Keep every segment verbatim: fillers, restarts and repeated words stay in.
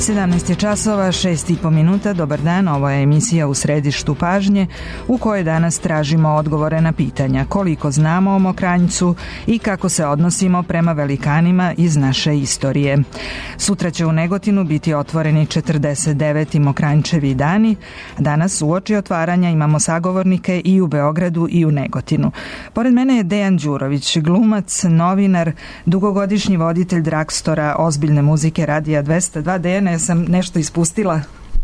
sedamnaest je časova, šest i po minuta. Dobar dan, ovo je emisija U središtu pažnje u kojoj danas tražimo odgovore na pitanja koliko znamo o Mokranjcu i kako se odnosimo prema velikanima iz naše istorije. Sutra će u Negotinu biti otvoreni četrdeset deveti Mokranjčevi dani. Danas uoči otvaranja imamo sagovornike i u Beogradu i u Negotinu. Pored mene je Dejan Đurović, glumac, novinar, dugogodišnji voditelj Dragstora ozbiljne muzike Radija dvesta dva. Dejane, ja sam nešto ispustila?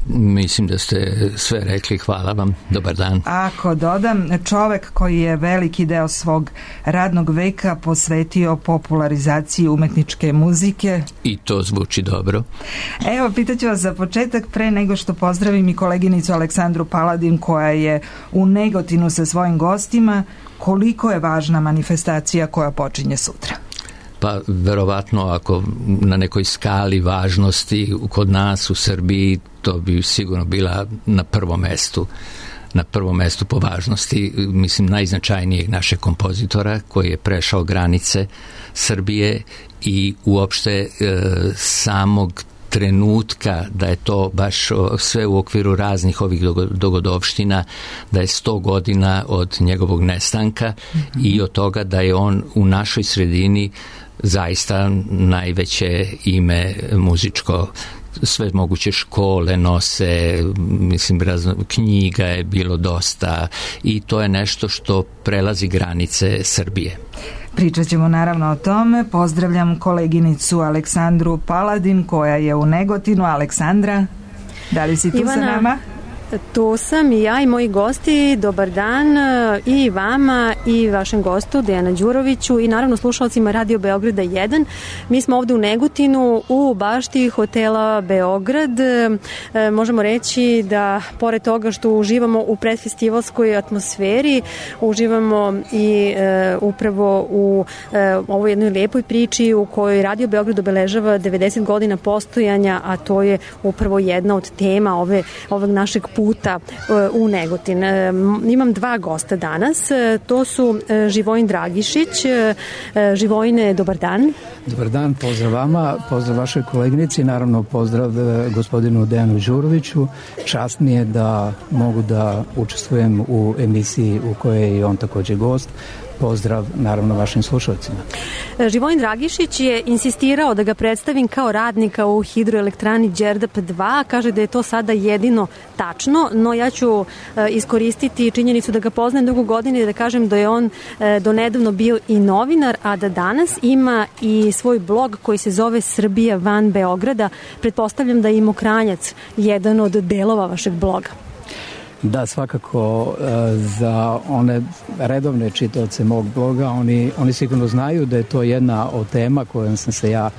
Mislim da ste sve rekli, hvala vam, dobar dan. Ako dodam, čovek koji je veliki deo svog radnog veka posvetio popularizaciji umetničke muzike. I to zvuči dobro. Evo, pitaću vas za početak, pre nego što pozdravim i koleginicu Aleksandru Paladin koja je u Negotinu sa svojim gostima, koliko je važna manifestacija koja počinje sutra? Pa verovatno ako na nekoj skali važnosti kod nas u Srbiji, to bi sigurno bila na prvom mestu na prvom mestu po važnosti, mislim, najznačajnijeg našeg kompozitora koji je prešao granice Srbije i uopšte e, samog trenutka da je to baš sve u okviru raznih ovih dogodovština, da je sto godina od njegovog nestanka mm-hmm. i od toga da je on u našoj sredini zaista najveće ime muzičko. Sve moguće škole nose, mislim, razno, knjiga je bilo dosta i to je nešto što prelazi granice Srbije. Pričat ćemo naravno o tome. Pozdravljam koleginicu Aleksandru Paladin koja je u Negotinu. Aleksandra, da li si tu Ivana, sa nama? Tu sam i ja i moji gosti. Dobar dan i vama i vašem gostu Dejana Đuroviću i naravno slušalcima Radio Beograda jedan. Mi smo ovde u Negotinu u bašti hotela Beograd. E, možemo reći da pored toga što uživamo u predfestivalskoj atmosferi, uživamo i e, upravo u e, ovoj jednoj lijepoj priči u kojoj Radio Beograd obeležava devedeset godina postojanja, a to je upravo jedna od tema ove, ovog našeg puta u Negotin. Imam dva gosta danas. To su Živojin Dragišić. Živojine, dobar dan. Dobar dan, pozdrav vama, pozdrav vašoj koleginici, naravno pozdrav gospodinu Dejanu Đuroviću. Čast mi je da mogu da učestvujem u emisiji u kojoj je i on takođe gost. Pozdrav, naravno, vašim slušalcima. Živojin Dragišić je insistirao da ga predstavim kao radnika u hidroelektrani Đerdap dva. Kaže da je to sada jedino tačno, no ja ću iskoristiti činjenicu da ga poznajem dugo godine i da kažem da je on donedavno bio i novinar, a da danas ima i svoj blog koji se zove Srbija van Beograda. Pretpostavljam da je i Mokranjac jedan od delova vašeg bloga. Da, svakako za one redovne čitaoce mog bloga, oni, oni sigurno znaju da je to jedna od tema kojom sam se ja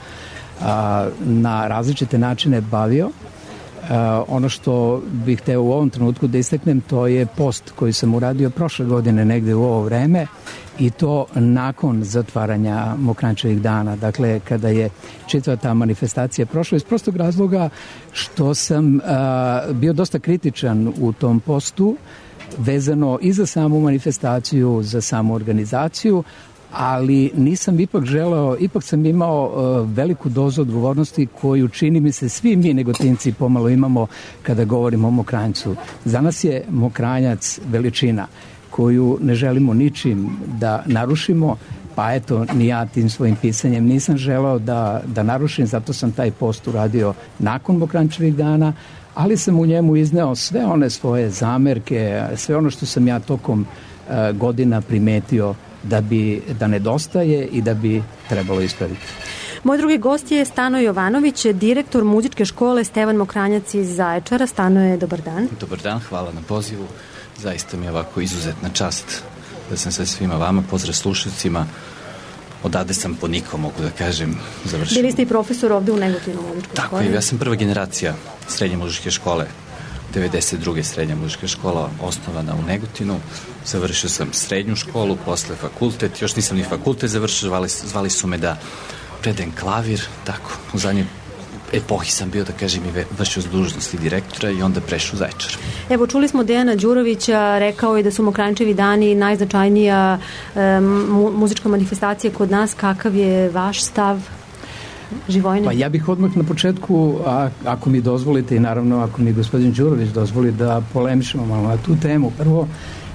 a, na različite načine bavio. A, ono što bih hteo u ovom trenutku da istaknem, to je post koji sam uradio prošle godine negde u ovo vreme i to nakon zatvaranja Mokranjčevih dana. Dakle, kada je čitava ta manifestacija prošla iz prostog razloga što sam a, bio dosta kritičan u tom postu vezano i za samu manifestaciju, za samu organizaciju, ali nisam ipak želeo, ipak sam imao uh, veliku dozu odgovornosti koju čini mi se svi mi Negotinci pomalo imamo kada govorimo o Mokranjcu. Za nas je Mokranjac veličina koju ne želimo ničim da narušimo, pa eto, ni ja tim svojim pisanjem nisam želeo da, da narušim, zato sam taj post uradio nakon Mokranjčevih dana, ali sam u njemu izneo sve one svoje zamerke, sve ono što sam ja tokom uh, godina primetio da bi da nedostaje i da bi trebalo ispraviti. Moj drugi gost je Stano Jovanović, direktor muzičke škole Stevan Mokranjac iz Zaječara. Stano, je dobar dan. Dobar dan, hvala na pozivu. Zaista mi je ovako izuzetna čast da sam sa svima vama, pozdrav slušalcima. Odade sam po nikom, mogu da kažem, završio. Bili ste i profesor ovde u Negotinu muzičkoj Tako školi? je, ja sam prva generacija srednje muzičke škole. devedeset druge srednja muzička škola osnovana u Negotinu. Završio sam srednju školu, posle fakultet. Još nisam ni fakultet završio, zvali, zvali su me da predajem klavir. Tako, u zadnjoj epohi sam bio, da kažem, i vršio s dužnosti direktora i onda prešao u Zaječar. Evo, čuli smo Dejana Đurovića, rekao je da su Mokranjčevi dani najznačajnija um, muzička manifestacija kod nas. Kakav je vaš stav? Živojine? Pa ja bih odmah na početku, a, ako mi dozvolite i naravno ako mi gospodin Đurović dozvoli da polemišemo malo na tu temu. Prvo,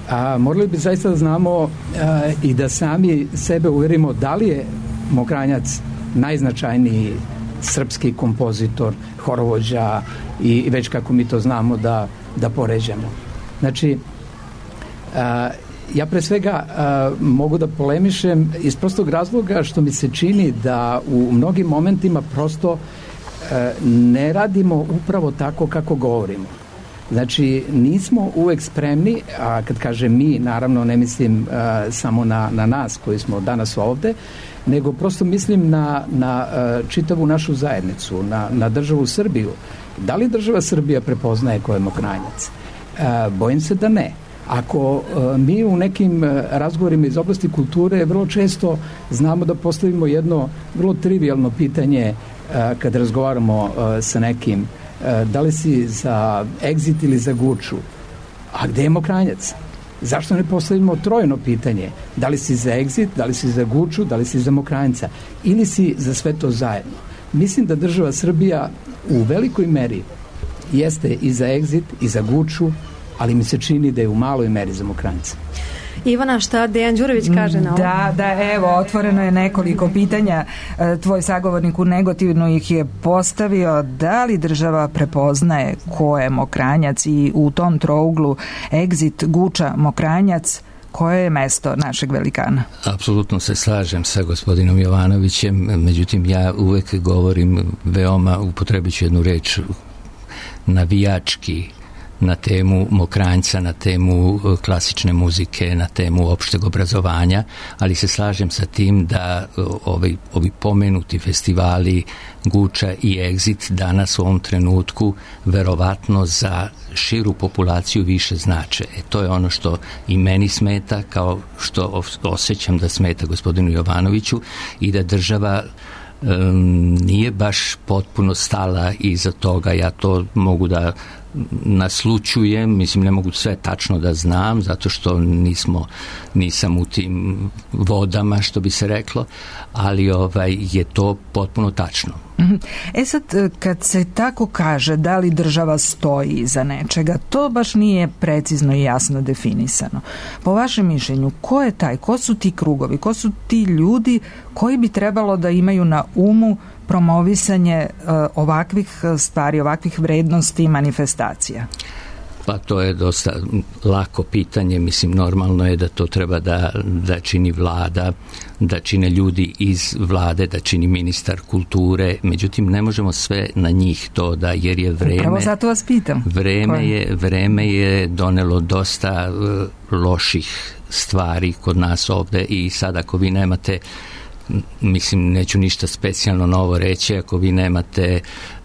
a, morali bi zaista da znamo a, i da sami sebe uverimo da li je Mokranjac najznačajniji srpski kompozitor, horovođa i već kako mi to znamo da, da poređamo. Znači, a, ja pre svega a, mogu da polemišem iz prostog razloga što mi se čini da u mnogim momentima prosto a, ne radimo upravo tako kako govorimo. Znači, nismo uvek spremni, a kad kažem mi, naravno ne mislim a, samo na, na nas koji smo danas ovde, nego prosto mislim na, na a, čitavu našu zajednicu, na, na državu Srbiju. Da li država Srbija prepoznaje ko je Mokranjac? A, bojim se da ne. Ako a, mi u nekim a, razgovorima iz oblasti kulture vrlo često znamo da postavimo jedno vrlo trivijalno pitanje a, kad razgovaramo a, sa nekim, a, da li si za Exit ili za Guču, a gde je Mokranjac? Zašto ne postavimo trojno pitanje? Da li si za Exit, da li si za Guču, da li si za Mokranjca ili si za sve to zajedno? Mislim da država Srbija u velikoj meri jeste i za Exit i za Guču, ali mi se čini da je u maloj meri za Mokranjca. Ivana, šta Dejan Đurović kaže na ovo? Da, da, evo, otvoreno je nekoliko pitanja. Tvoj sagovornik u Negotinu ih je postavio. Da li država prepoznaje ko je Mokranjac i u tom trouglu Exit, Guča, Mokranjac, koje je mesto našeg velikana? Apsolutno se slažem sa gospodinom Jovanovićem, međutim ja uvek govorim veoma, upotrebit ću jednu reč, navijački, na temu Mokranjca, na temu klasične muzike, na temu opšteg obrazovanja, ali se slažem sa tim da ovi, ovi pomenuti festivali Guča i Exit danas u ovom trenutku verovatno za širu populaciju više znače. E, to je ono što i meni smeta, kao što osjećam da smeta gospodinu Jovanoviću, i da država um, nije baš potpuno stala iza toga. Ja to mogu da naslučujem, mislim ne mogu sve tačno da znam zato što nismo, nisam u tim vodama što bi se reklo, ali ovaj, je to potpuno tačno. E sad, kad se tako kaže da li država stoji iza nečega, to baš nije precizno i jasno definisano. Po vašem mišljenju, ko je taj, ko su ti krugovi, ko su ti ljudi koji bi trebalo da imaju na umu promovisanje uh, ovakvih stvari, ovakvih vrednosti i manifestacija? Pa to je dosta lako pitanje, mislim normalno je da to treba da, da čini vlada, da čine ljudi iz vlade, da čini ministar kulture, međutim ne možemo sve na njih to da, jer je vreme... Pravo zato vas pitam. Vreme je, vreme je donelo dosta uh, loših stvari kod nas ovde i sad ako vi nemate, mislim neću ništa specijalno novo reći, ako vi nemate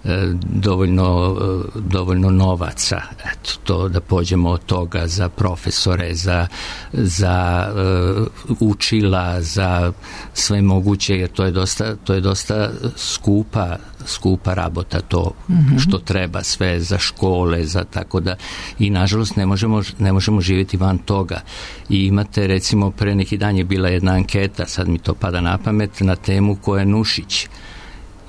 e, dovoljno, e, dovoljno novaca, eto, to da pođemo od toga za profesore, za, za e, učila, za sve moguće, jer to je dosta, to je dosta skupa, skupa rabota to mm-hmm. što treba sve za škole, za tako da, i nažalost ne možemo, ne možemo živjeti van toga. I imate recimo pre neki dan je bila jedna anketa, sad mi to pada na pamet, na temu ko je Nušić.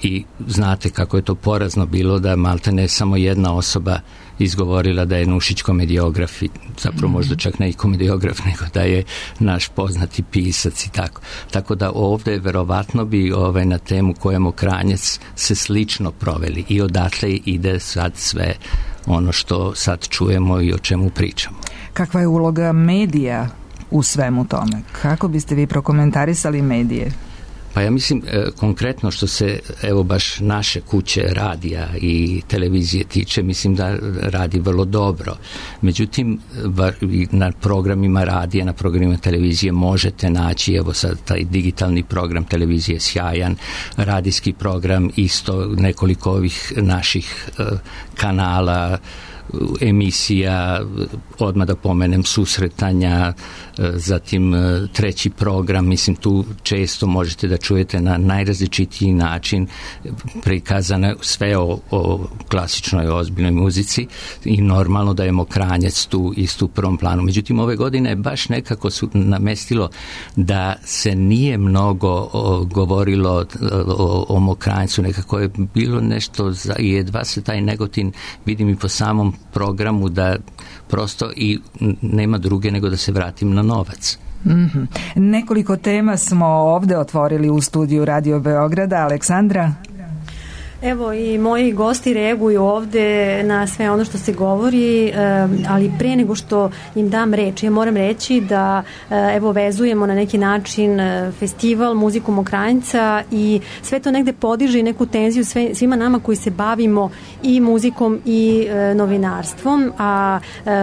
I znate kako je to porazno bilo da malte ne samo jedna osoba izgovorila da je Nušić komediograf i zapravo možda čak ne i komediograf, nego da je naš poznati pisac i tako. Tako da ovde verovatno bi ovaj, na temu ko je Mokranjac se slično proveli i odatle ide sad sve ono što sad čujemo i o čemu pričamo. Kakva je uloga medija u svemu tome? Kako biste vi prokomentarisali medije? Pa ja mislim e, konkretno što se evo baš naše kuće radija i televizije tiče, mislim da radi vrlo dobro. Međutim, var, na programima radija, na programima televizije možete naći, evo sad taj digitalni program televizije sjajan, radijski program isto, nekoliko ovih naših e, kanala emisija, odmah da pomenem susretanja, zatim treći program, mislim tu često možete da čujete na najrazličitiji način prikazane sve o, o klasičnoj ozbiljnoj muzici i normalno da je Mokranjac tu isto u prvom planu. Međutim, ove godine baš nekako su namestilo da se nije mnogo o, govorilo o, o Mokranjcu, nekako je bilo nešto za, i jedva se taj Negotin, vidim i po samom programu, da prosto i nema druge nego da se vratim na novac. Mm-hmm. Nekoliko tema smo ovde otvorili u studiju Radio Beograda. Aleksandra? Evo i moji gosti reaguju ovde na sve ono što se govori, ali pre nego što im dam reč, ja moram reći da evo vezujemo na neki način festival muziku Mokranjca i sve to negde podiže neku tenziju sve, svima nama koji se bavimo i muzikom i novinarstvom, a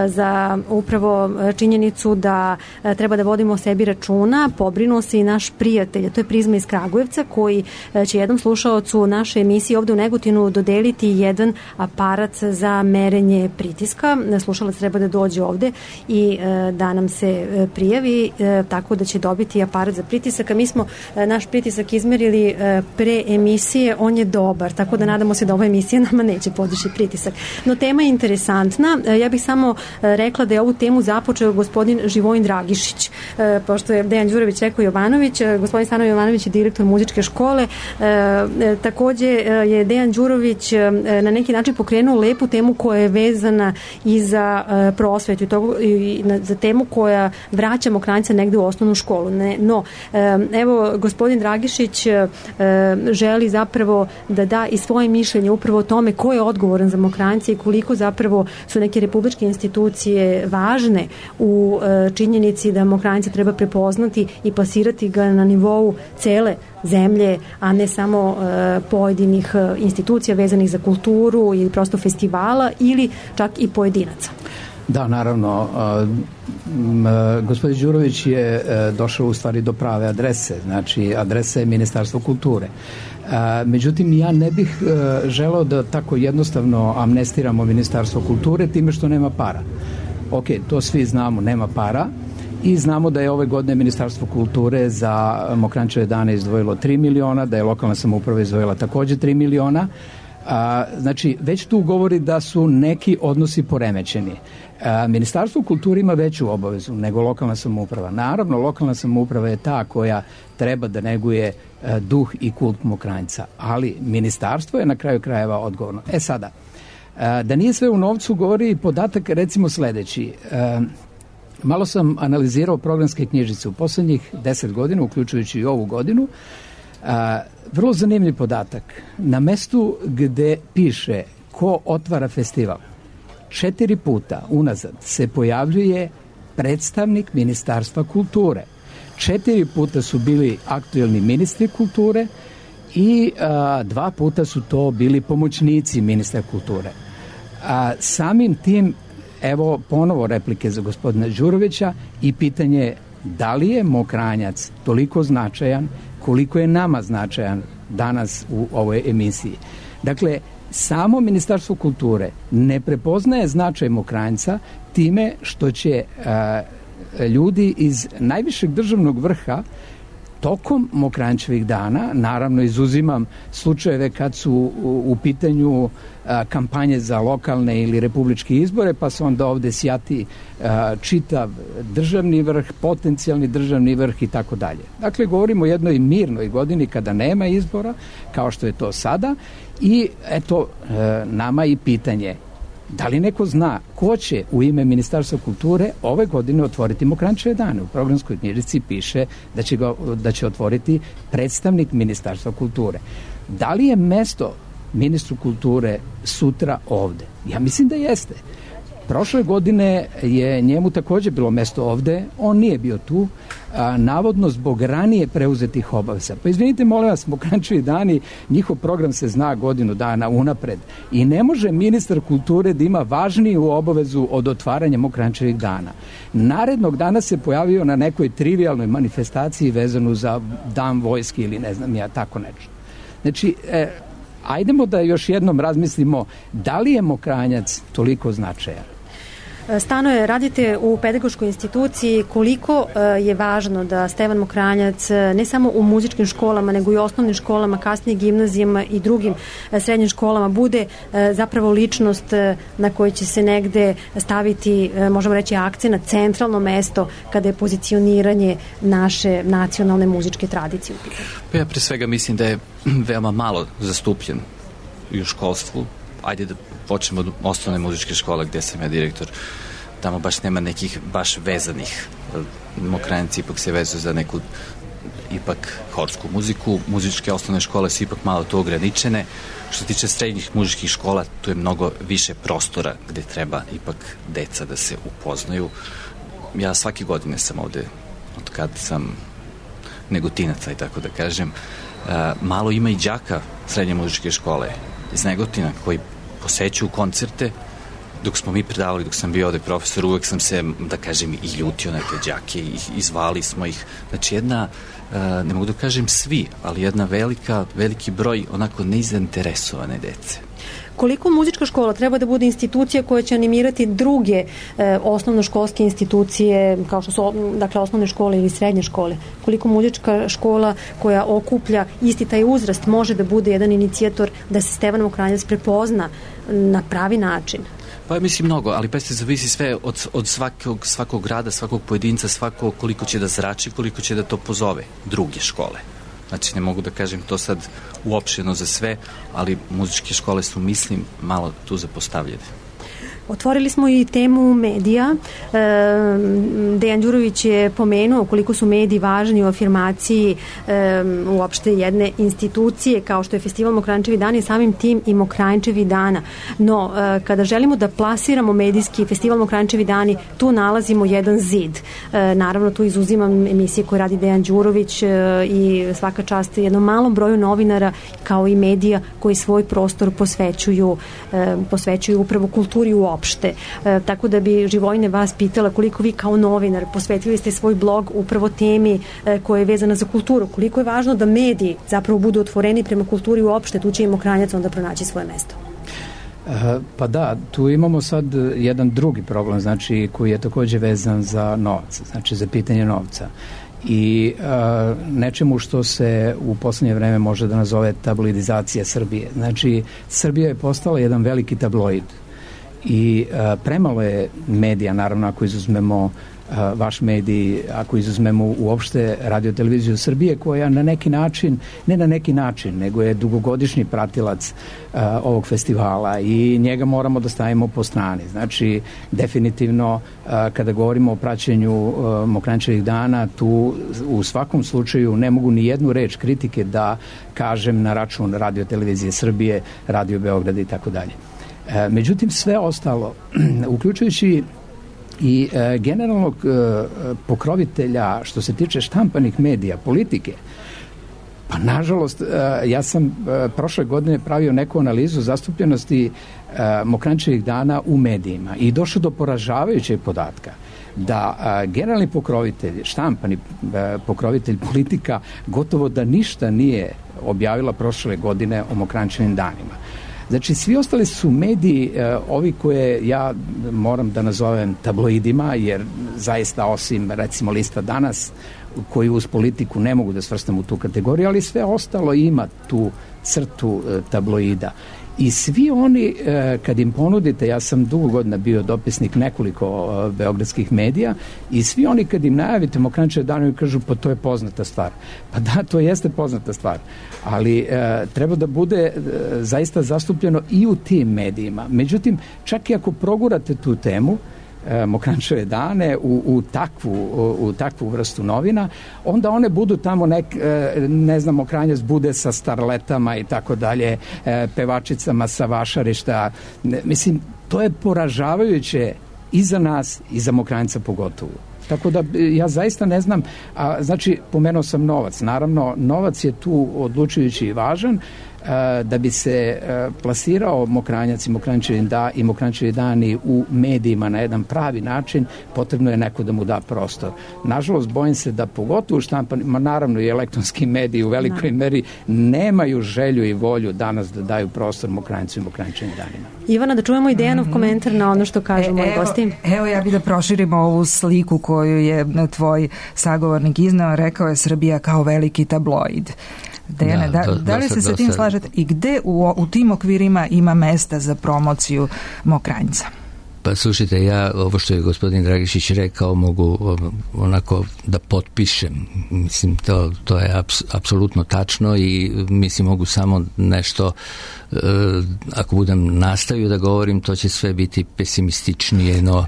za upravo činjenicu da treba da vodimo o sebi računa, pobrinuo se i naš prijatelj, to je Prizma iz Kragujevca, koji će jednom slušaocu naše emisije ovde u Negotinu dodeliti jedan aparat za merenje pritiska. Slušalac treba da dođe ovde i e, da nam se e, prijavi, e, tako da će dobiti aparat za pritisak. A mi smo e, naš pritisak izmerili e, pre emisije, on je dobar, tako da nadamo se da ova emisija nama neće podići pritisak. No tema je interesantna. E, ja bih samo e, rekla da je ovu temu započeo gospodin Živojin Dragišić. E, pošto je Dejan Đurović rekao Jovanović, e, gospodin Stanoje Jovanović je direktor muzičke škole. E, e, takođe e, je Dejan Đurović na neki način pokrenuo lepu temu koja je vezana i za prosvetu i, to, i za temu koja vraća Mokranjca negde u osnovnu školu. Ne, no, evo, gospodin Dragišić želi zapravo da da i svoje mišljenje upravo o tome ko je odgovoran za Mokranjca i koliko zapravo su neke republičke institucije važne u činjenici da Mokranjca treba prepoznati i plasirati ga na nivou cele zemlje, a ne samo uh, pojedinih uh, institucija vezanih za kulturu ili prosto festivala ili čak i pojedinaca. Da, naravno. Uh, m, gospodin Đurović je uh, došao u stvari do prave adrese, znači adresa je Ministarstvo kulture. Uh, međutim, ja ne bih uh, želeo da tako jednostavno amnestiramo Ministarstvo kulture time što nema para. Ok, to svi znamo, nema para. I znamo da je ove godine Ministarstvo kulture za Mokranjčeve dane izdvojilo tri miliona, da je lokalna samouprava izdvojila takođe tri miliona. A, znači, već tu govori da su neki odnosi poremećeni. A, Ministarstvo kulture ima veću obavezu nego lokalna samouprava. Naravno, lokalna samouprava je ta koja treba da neguje a, duh i kult Mokranjca, ali Ministarstvo je na kraju krajeva odgovorno. E sada, a, da nije sve u novcu govori i podatak recimo sledeći. A, Malo sam analizirao programske knjižice u poslednjih deset godina, uključujući i ovu godinu. A, vrlo zanimljiv podatak. Na mestu gde piše ko otvara festival, četiri puta unazad se pojavljuje predstavnik Ministarstva kulture. Četiri puta su bili aktuelni ministri kulture i a, dva puta su to bili pomoćnici ministra kulture. A, samim tim, evo ponovo replike za gospodina Đurovića i pitanje da li je Mokranjac toliko značajan koliko je nama značajan danas u ovoj emisiji. Dakle, samo Ministarstvo kulture ne prepoznaje značaj Mokranjca time što će a, ljudi iz najvišeg državnog vrha tokom Mokranjčevih dana, naravno izuzimam slučajeve kad su u, u pitanju a, kampanje za lokalne ili republičke izbore, pa se onda ovde sjati a, čitav državni vrh, potencijalni državni vrh i tako dalje. Dakle, govorimo o jednoj mirnoj godini kada nema izbora, kao što je to sada, i eto, a, nama i pitanje da li neko zna ko će u ime Ministarstva kulture ove godine otvoriti Mokranjčeve dane? U programskoj knjižici piše da će, ga, da će otvoriti predstavnik Ministarstva kulture. Da li je mesto ministru kulture sutra ovde? Ja mislim da jeste. Prošle godine je njemu takođe bilo mesto ovde, on nije bio tu, a, navodno zbog ranije preuzetih obaveza. Pa izvinite, molim vas, Mokranjčevi dani, njihov program se zna godinu dana unapred i ne može ministar kulture da ima važniju obavezu od otvaranja Mokranjčevih dana. Narednog dana se pojavio na nekoj trivialnoj manifestaciji vezanu za dan vojske ili ne znam ja, tako nešto. Znači, e, ajdemo da još jednom razmislimo da li je Mokranjac toliko značajan. Stanoje, radite u pedagoškoj instituciji, koliko je važno da Stevan Mokranjac ne samo u muzičkim školama, nego i osnovnim školama, kasnije gimnazijama i drugim srednjim školama bude zapravo ličnost na kojoj će se negde staviti, možemo reći, akcent, centralno mesto kada je pozicioniranje naše nacionalne muzičke tradicije. Pa ja pre svega mislim da je veoma malo zastupljen i u školstvu. Ajde da počnemo od osnovne muzičke škole gde sam ja direktor. Tamo baš nema nekih baš vezanih. Mokranjac ipak se vezuje za neku ipak horsku muziku. Muzičke osnovne škole su ipak malo to ograničene. Što se tiče srednjih muzičkih škola, tu je mnogo više prostora gde treba ipak deca da se upoznaju. Ja svake godine sam ovde, od kad sam negotinaca i tako da kažem, malo ima i đaka srednje muzičke škole iz Negotina koji posećuju koncerte. Dok smo mi predavali, dok sam bio ovde profesor, uvek sam se, da kažem, i ljutio na te đake i, i zvali smo ih. Znači jedna, ne mogu da kažem svi, ali jedna velika, veliki broj onako nezainteresovane dece. Koliko muzička škola treba da bude institucija koja će animirati druge e, osnovnoškolske institucije, kao što su dakle, osnovne škole ili srednje škole? Koliko muzička škola koja okuplja isti taj uzrast može da bude jedan inicijator da se Stevan Mokranjac prepozna na pravi način? Pa mislim mnogo, ali pa se zavisi sve od, od svakog, svakog grada, svakog pojedinca, svako koliko će da zrači, koliko će da to pozove druge škole. Znači, ne mogu da kažem to sad uopšteno za sve, ali muzičke škole su, mislim, malo tu zapostavljene. Otvorili smo i temu medija. E, Dejan Đurović je pomenuo koliko su mediji važni u afirmaciji e, uopšte jedne institucije kao što je Festival Mokranjčevi dani i samim tim i Mokranjčevi dana. No, e, kada želimo da plasiramo medijski Festival Mokranjčevi dani, tu nalazimo jedan zid. E, naravno, tu izuzimam emisije koje radi Dejan Đurović e, i svaka čast jednom malom broju novinara kao i medija koji svoj prostor posvećuju, e, posvećuju upravo kulturi u opšte. E, tako da bi Živojne vas pitala koliko vi kao novinar posvetili ste svoj blog upravo temi e, koja je vezana za kulturu. Koliko je važno da mediji zapravo budu otvoreni prema kulturi uopšte, tu će i Mokranjac onda pronaći svoje mesto. E, pa da, tu imamo sad jedan drugi problem, znači koji je takođe vezan za novac, znači za pitanje novca. I e, nečemu što se u poslednje vreme može da nazove tabloidizacija Srbije. Znači, Srbija je postala jedan veliki tabloid. I a, premalo je medija, naravno ako izuzmemo a, vaš medij, ako izuzmemo uopšte Radio televiziju Srbije koja na neki način, ne na neki način, nego je dugogodišnji pratilac a, ovog festivala i njega moramo da stavimo po strani. Znači, definitivno a, kada govorimo o praćenju Mokranjčevih dana, tu u svakom slučaju ne mogu ni jednu reč kritike da kažem na račun Radio televizije Srbije, Radio Beograda i tako dalje. Međutim, sve ostalo, uključujući i e, generalnog e, pokrovitelja što se tiče štampanih medija, politike, pa nažalost, e, ja sam e, prošle godine pravio neku analizu zastupljenosti e, Mokranjčevih dana u medijima i došao do poražavajućeg podatka da a, generalni pokrovitelj, štampani a, pokrovitelj politika gotovo da ništa nije objavila prošle godine o Mokranjčevim danima. Znači, svi ostali su mediji, e, ovi koje ja moram da nazovem tabloidima, jer zaista osim, recimo, Lista Danas, koji uz politiku ne mogu da svrstam u tu kategoriju, ali sve ostalo ima tu crtu e, tabloida. I svi oni, e, kad im ponudite, ja sam dugo godina bio dopisnik nekoliko e, beogradskih medija, i svi oni kad im najavite Mokranjčeve dane kažu, pa to je poznata stvar. Pa da, to jeste poznata stvar, ali e, treba da bude e, zaista zastupljeno i u tim medijima. Međutim, čak i ako progurate tu temu, Mokranjčeve dane u, u, takvu, u, u takvu vrstu novina, onda one budu tamo nek, ne znam, Mokranjac bude sa starletama i tako dalje, pevačicama sa vašarišta. Mislim, to je poražavajuće i za nas i za Mokranjca pogotovo. Tako da ja zaista ne znam, a, znači pomenuo sam novac, naravno novac je tu odlučujući i važan. da bi se plasirao Mokranjac i Mokranjčevi da, i Mokranjčevi dani u medijima na jedan pravi način, potrebno je neko da mu da prostor. Nažalost, bojim se da pogotovo štampanima, naravno i elektronski mediji u velikoj da. meri nemaju želju i volju danas da daju prostor Mokranjcu i Mokranjčevim danima. Ivana, da čujemo i Dejanov mm-hmm. komentar na ono što kažu e, moji evo, gosti. Evo ja bih da proširimo ovu sliku koju je tvoj sagovornik iznao, rekao je Srbija kao veliki tabloid. Dejane, da, da, da li se sa tim slažete i gde u, u tim okvirima ima mesta za promociju Mokranjca? Pa slušajte, ja ovo što je gospodin Dragišić rekao mogu onako da potpišem. Mislim, to, to je aps, apsolutno tačno i mislim mogu samo nešto e, ako budem nastavio da govorim, to će sve biti pesimističnije no,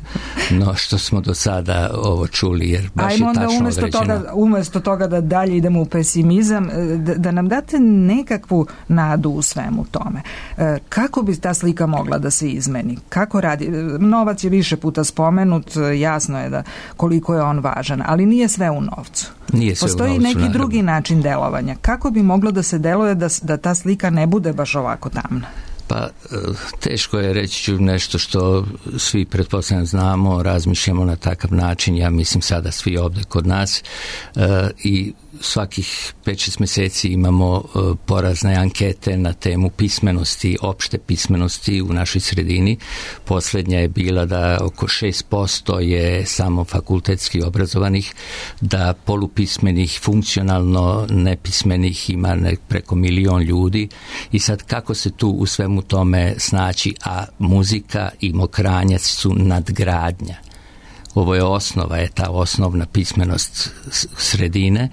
no što smo do sada ovo čuli, jer baš Ajmo je tačno određeno. Ajmo onda toga, umjesto toga da dalje idemo u pesimizam, da, da nam date nekakvu nadu u svemu tome. E, kako bi ta slika mogla da se izmeni? Kako radi? Novac je više puta spomenut, jasno je da koliko je on važan, ali nije sve u novcu. Nije sve Postoji u novcu, neki naravno. drugi način delovanja. Kako bi moglo da se deluje da, da ta slika ne bude baš ovako tamna? Pa teško je reći ću nešto što svi pretpostavljam znamo, razmišljamo na takav način, ja mislim sada svi ovde kod nas e, i svakih pet šest mjeseci imamo e, porazne ankete na temu pismenosti, opšte pismenosti u našoj sredini. Posljednja je bila da oko šest posto je samo fakultetski obrazovanih, da polupismenih, funkcionalno nepismenih ima ne, preko milion ljudi i sad kako se tu u svemu tome snaći, a muzika i Mokranjac su nadgradnja. Ovo je osnova, je ta osnovna pismenost sredine,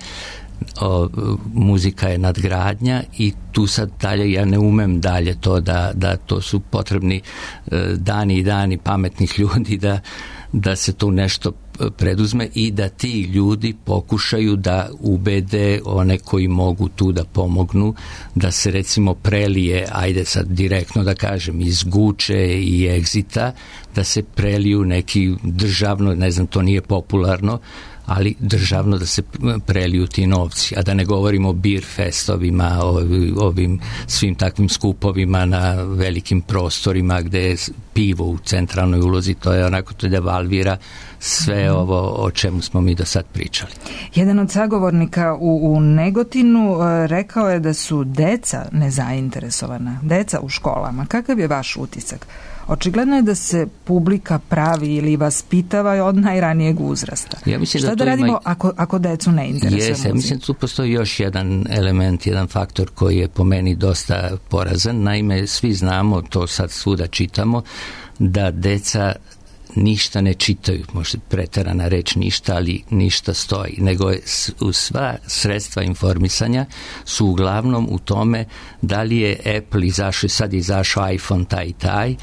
o, muzika je nadgradnja i tu sad dalje, ja ne umem dalje to da, da to su potrebni e, dani i dani pametnih ljudi da, da se tu nešto preduzme i da ti ljudi pokušaju da ubede one koji mogu tu da pomognu, da se recimo prelije, ajde sad direktno da kažem, iz Guče i Egzita, da se preliju neki državno, ne znam, to nije popularno, ali državno da se preliju ti novci, a da ne govorimo o beer festovima, ovim, ovim svim takvim skupovima na velikim prostorima gde je pivo u centralnoj ulozi, to je onako, to devalvira sve mm. ovo o čemu smo mi do sad pričali. Jedan od sagovornika u, u Negotinu uh, rekao je da su deca nezainteresovana, deca u školama. Kakav je vaš utisak? Očigledno je da se publika pravi ili vaspitava od najranijeg uzrasta. Ja mislim Šta da, da radimo ima... ako, ako decu ne interesuje Jeste, muzika? mislim da tu postoji još jedan element, jedan faktor koji je po meni dosta porazan. Naime, svi znamo, to sad svuda čitamo, da deca ništa ne čitaju, možda preterana reč ništa, ali ništa stoji, nego je sva sredstva informisanja su uglavnom u tome da li je Apple izašao, sad izašao iPhone taj i taj,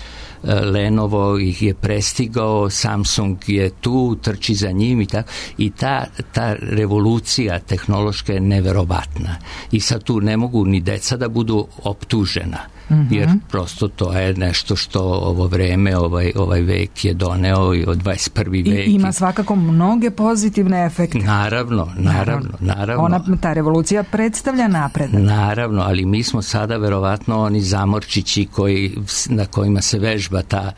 Lenovo ih je prestigao, Samsung je tu, trči za njim i tako. I ta, ta revolucija tehnološka je neverovatna. I sad tu ne mogu ni deca da budu optužena. Mm-hmm. Jer prosto to je nešto što ovo vreme, ovaj, ovaj vek je doneo i od dvadeset prvi vek. I ima svakako mnoge pozitivne efekte. Naravno, naravno, naravno. Ona, ta revolucija predstavlja napredak. Naravno, ali mi smo sada verovatno oni zamorčići koji, na kojima se vežba ta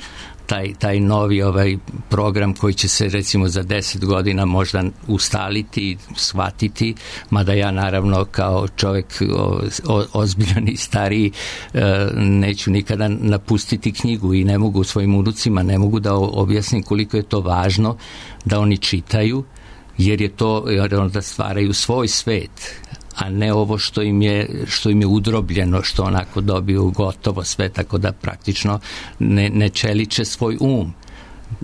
Taj, taj novi ovaj program koji će se recimo za deset godina možda ustaliti, shvatiti, mada ja naravno kao čovjek o, o, ozbiljan i stariji e, neću nikada napustiti knjigu i ne mogu svojim unucima, ne mogu da objasnim koliko je to važno da oni čitaju, jer je to da stvaraju svoj svet, a ne ovo što im je, što im je udrobljeno, što onako dobiju gotovo sve, tako da praktično ne, ne čeliče svoj um,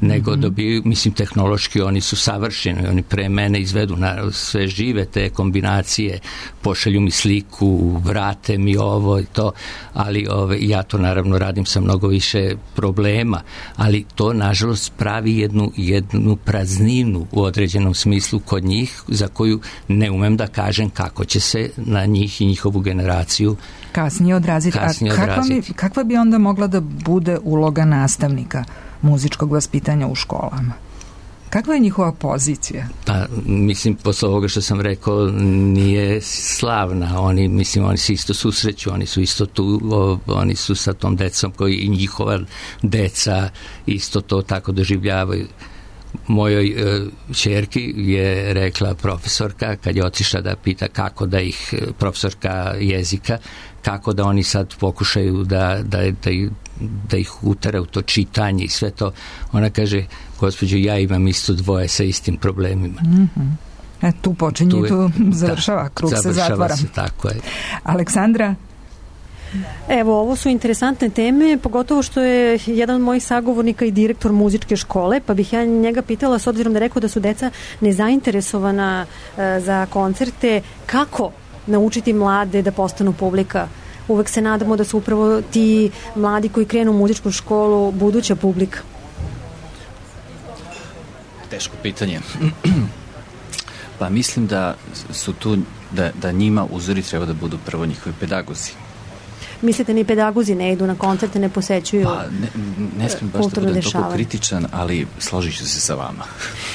nego mm-hmm. dobiju, mislim, tehnološki oni su savršeni, oni pre mene izvedu na sve žive te kombinacije, pošalju mi sliku, vrate mi ovo i to, ali ove, ja to naravno radim sa mnogo više problema, ali to nažalost pravi jednu, jednu prazninu u određenom smislu kod njih, za koju ne umem da kažem kako će se na njih i njihovu generaciju kasnije odraziti. Kasnije A kakva, odraziti. bi, kakva bi onda mogla da bude uloga nastavnika muzičkog vaspitanja u školama? Kakva je njihova pozicija? Pa, mislim, posle ovoga što sam rekao, nije slavna. Oni, mislim, oni se isto susreću, oni su isto tu, o, oni su sa tom decom koji i njihova deca isto to tako doživljavaju. Mojoj e, čerki je rekla profesorka, kad je otišla da pita kako da ih, profesorka jezika, kako da oni sad pokušaju da, da, da, da ih utara u to čitanje i sve to. Ona kaže, gospođo, ja imam isto dvoje sa istim problemima. Mm-hmm. E, tu počinje, tu, je, tu završava, da, krug se zatvara. Se, tako je. Aleksandra? Evo, ovo su interesantne teme, pogotovo što je jedan od mojih sagovornika i direktor muzičke škole, pa bih ja njega pitala, s obzirom da rekao da su deca nezainteresovana e, za koncerte, kako naučiti mlade da postanu publika? Uvek se nadamo da su upravo ti mladi koji krenu u muzičku školu buduća publika. Teško pitanje. Pa mislim da su tu, da, da njima uzori treba da budu prvo njihovi pedagozi. Mislite, ni pedagozi ne idu na koncerte, ne posećuju pa, ne, ne smijem baš da budem toliko kritičan, ali složit ću se sa vama.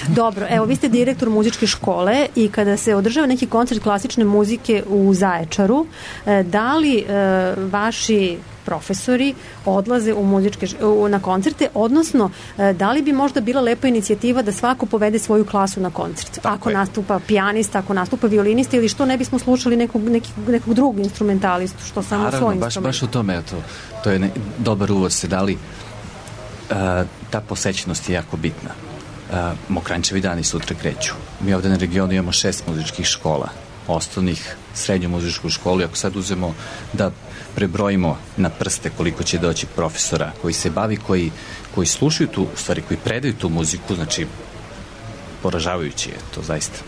Dobro, evo, vi ste direktor muzičke škole i kada se održava neki koncert klasične muzike u Zaječaru, da li e, vaši profesori odlaze u muzičke, u, na koncerte, odnosno da li bi možda bila lepa inicijativa da svako povede svoju klasu na koncert? Tako ako je. Nastupa pijanista, ako nastupa violinista, ili što ne bismo slušali nekog, nekog, nekog drugog instrumentalistu, što samo Naravno, svoj baš, instrument. baš u tome, to, to je ne, dobar uvod ste dali. Uh, ta posećenost je jako bitna. Uh, Mokranjčevi dani sutra kreću. Mi ovde na regionu imamo šest muzičkih škola, osnovnih, srednju muzičku školu, i ako sad uzemo da prebrojimo na prste koliko će doći profesora koji se bavi, koji, koji slušaju tu, u stvari koji predaju tu muziku, znači poražavajući je to zaista.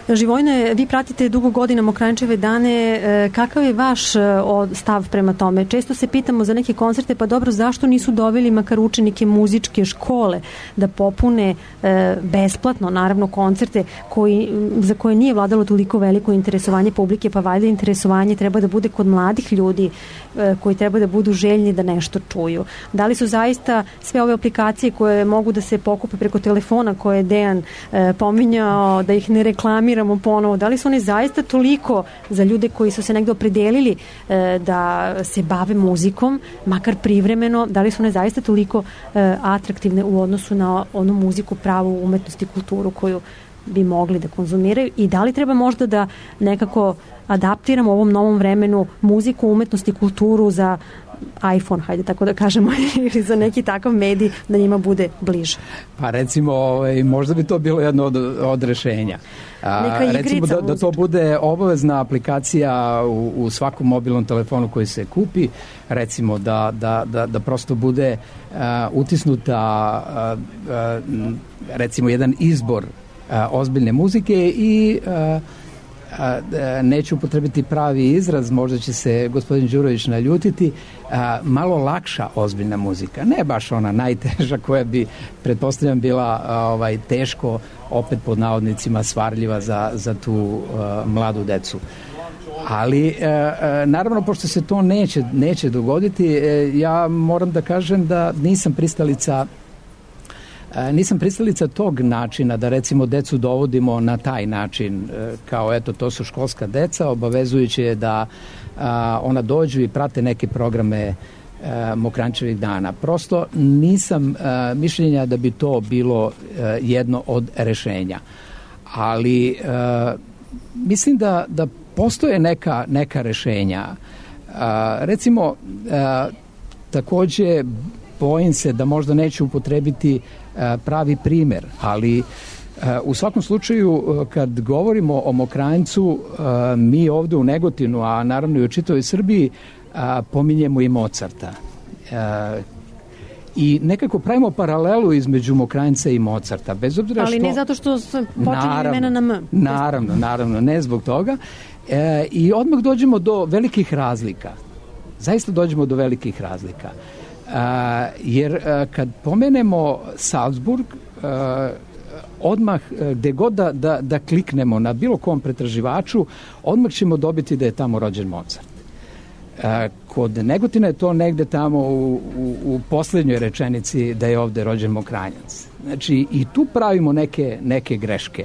Živojne, vi pratite dugo godina Mokranjčeve dane, kakav je vaš stav prema tome? Često se pitamo za neke koncerte, pa dobro, zašto nisu doveli makar učenike muzičke škole da popune besplatno, naravno, koncerte koji, za koje nije vladalo toliko veliko interesovanje publike, pa valjda interesovanje treba da bude kod mladih ljudi koji treba da budu željni da nešto čuju. Da li su zaista sve ove aplikacije koje mogu da se pokupe preko telefona, koje je Dejan pominjao, da ih ne reklamiramo ponovo, da li su one zaista toliko za ljude koji su se negdje opredelili e, da se bave muzikom, makar privremeno, da li su one zaista toliko e, atraktivne u odnosu na onu muziku, pravu umetnost i kulturu koju bi mogli da konzumiraju, i da li treba možda da nekako adaptiramo u ovom novom vremenu muziku, umetnost i kulturu za iPhone, hajde tako da kažemo, ili za neki takav medij da njima bude bliže. Pa recimo, ovaj, možda bi to bilo jedno od, od rešenja. A, recimo da, da to bude obavezna aplikacija u, u svakom mobilnom telefonu koji se kupi, recimo da, da, da, da prosto bude a, utisnuta a, a, recimo jedan izbor a, ozbiljne muzike i a, A, neću upotrebiti pravi izraz, možda će se gospodin Đurović naljutiti, a, malo lakša ozbiljna muzika, ne baš ona najteža koja bi, pretpostavljam, bila a, ovaj, teško, opet pod navodnicima, svarljiva za, za tu a, mladu decu. Ali a, a, naravno, pošto se to neće, neće dogoditi, e, ja moram da kažem da nisam pristalica Nisam pristalica tog načina da recimo decu dovodimo na taj način, kao eto to su školska deca, obavezujuće je da a, ona dođu i prate neke programe a, Mokranjčevih dana. Prosto nisam a, mišljenja da bi to bilo a, jedno od rešenja. Ali a, mislim da, da postoje neka, neka rešenja. A, recimo, a, takođe bojim se da možda neću upotrebiti pravi primer, ali u svakom slučaju kad govorimo o Mokranjcu, mi ovde u Negotinu, a naravno i u čitavoj Srbiji, pominjemo i Mozarta. I nekako pravimo paralelu između Mokranjca i Mozarta, bez obzira što... Ali ne zato što počinje imena na M. Naravno, naravno, ne zbog toga. I odmah dođemo do velikih razlika. Zaista dođemo do velikih razlika. Uh, jer uh, kad pomenemo Salzburg, uh, odmah uh, gde god da, da, da kliknemo na bilo kom pretraživaču, odmah ćemo dobiti da je tamo rođen Mozart. Kod Negotina je to negde tamo u, u, u poslednjoj rečenici da je ovde rođen Mokranjac. Znači, i tu pravimo neke, neke greške.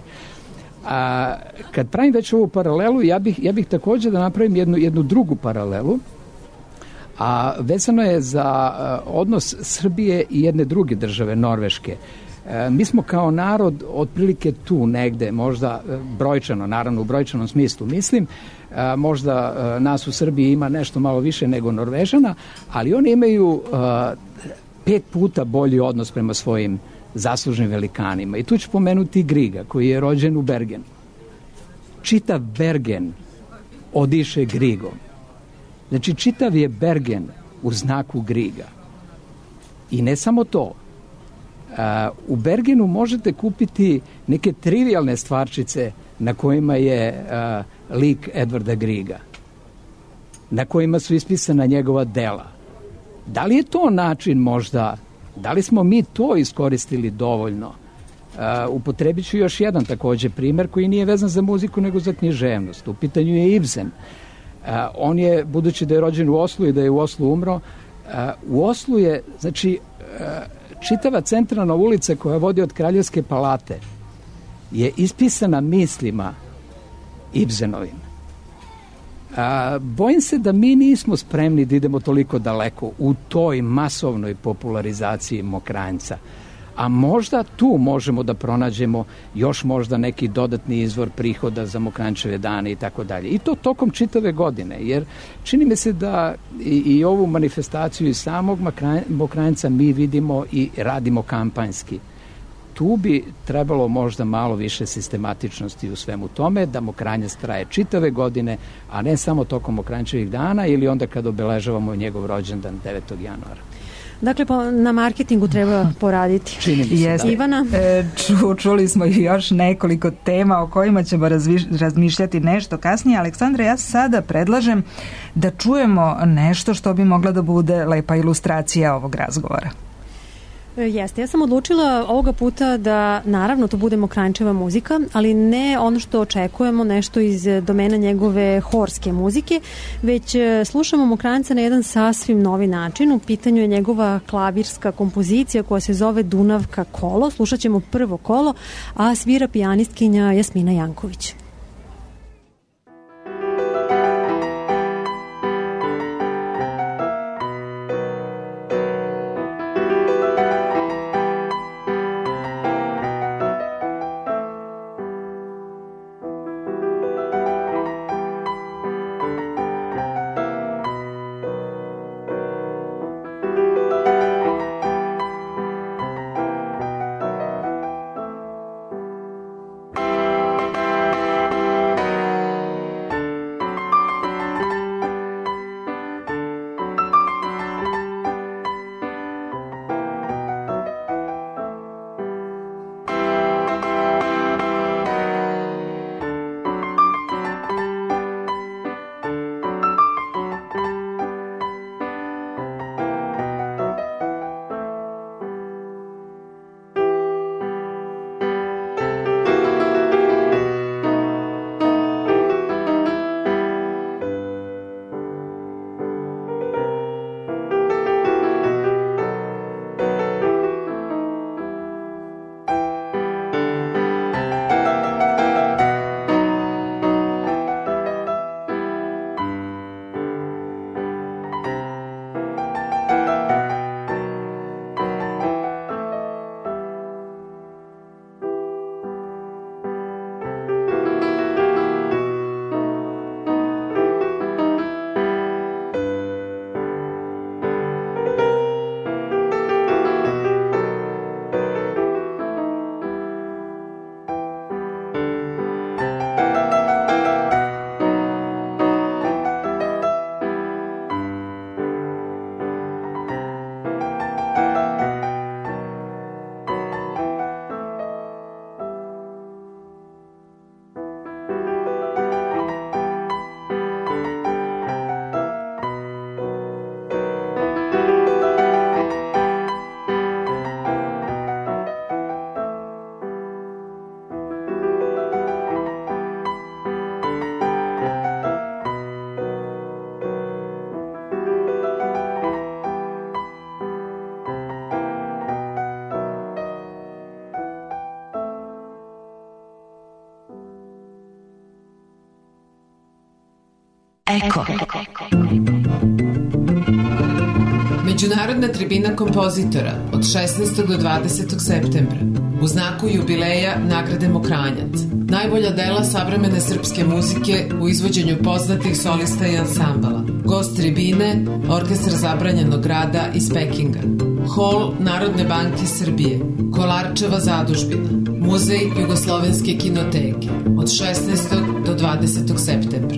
A kad pravim već ovu paralelu, ja bih, ja bih takođe da napravim jednu, jednu drugu paralelu, a vezano je za odnos Srbije i jedne druge države, Norveške. Mi smo kao narod otprilike tu negde, možda brojčano, naravno u brojčanom smislu mislim, možda nas u Srbiji ima nešto malo više nego Norvežana, ali oni imaju pet puta bolji odnos prema svojim zaslužnim velikanima. I tu ću pomenuti Griga, koji je rođen u Bergenu. Čitav Bergen odiše Grigom. Znači, čitav je Bergen u znaku Griga. I ne samo to. U Bergenu možete kupiti neke trivialne stvarčice na kojima je lik Edvarda Griga, na kojima su ispisana njegova dela. Da li je to način možda, da li smo mi to iskoristili dovoljno? Uh, upotrebit ću još jedan takođe primer koji nije vezan za muziku nego za književnost. U pitanju je Ibsen. Uh, on je, budući da je rođen u Oslu i da je u Oslu umro, uh, u Oslu je, znači, uh, čitava centralna ulica koja vodi od Kraljevske palate je ispisana mislima Ibsenovim. A, bojim se da mi nismo spremni da idemo toliko daleko u toj masovnoj popularizaciji Mokranjca. A možda tu možemo da pronađemo još možda neki dodatni izvor prihoda za Mokranjčeve dane i tako dalje. I to tokom čitave godine, jer čini mi se da i, i ovu manifestaciju i samog Mokranjca mi vidimo i radimo kampanjski. Tu bi trebalo možda malo više sistematičnosti u svemu tome, da Mokranjac traje čitave godine, a ne samo tokom Mokranjčevih dana ili onda kad obeležavamo njegov rođendan devetog januara. Dakle, pa na marketingu treba poraditi. Čini mi se, Jeste. da. Ivana? E, ču, čuli smo još nekoliko tema o kojima ćemo razviš, razmišljati nešto kasnije. Aleksandra, ja sada predlažem da čujemo nešto što bi mogla da bude lepa ilustracija ovog razgovora. Jeste, ja sam odlučila ovoga puta da naravno to bude Mokranjčeva muzika, ali ne ono što očekujemo, nešto iz domena njegove horske muzike, već slušamo Mokranjca na jedan sasvim novi način. U pitanju je njegova klavirska kompozicija koja se zove Dunavka kolo. Slušat ćemo prvo kolo, a svira pijanistkinja Jasmina Janković. Thank you. Eko. Međunarodna tribina kompozitora od šesnaestog do dvadesetog septembra u znaku jubileja nagrade Mokranjac. Najbolja dela savremene srpske muzike u izvođenju poznatih solista i ansambala. Gost tribine, Orkestar zabranjenog rada iz Pekinga. Hol Narodne banke Srbije, Kolarčeva zadužbina, Muzej Jugoslovenske kinoteke od šesnaestog do dvadesetog septembra.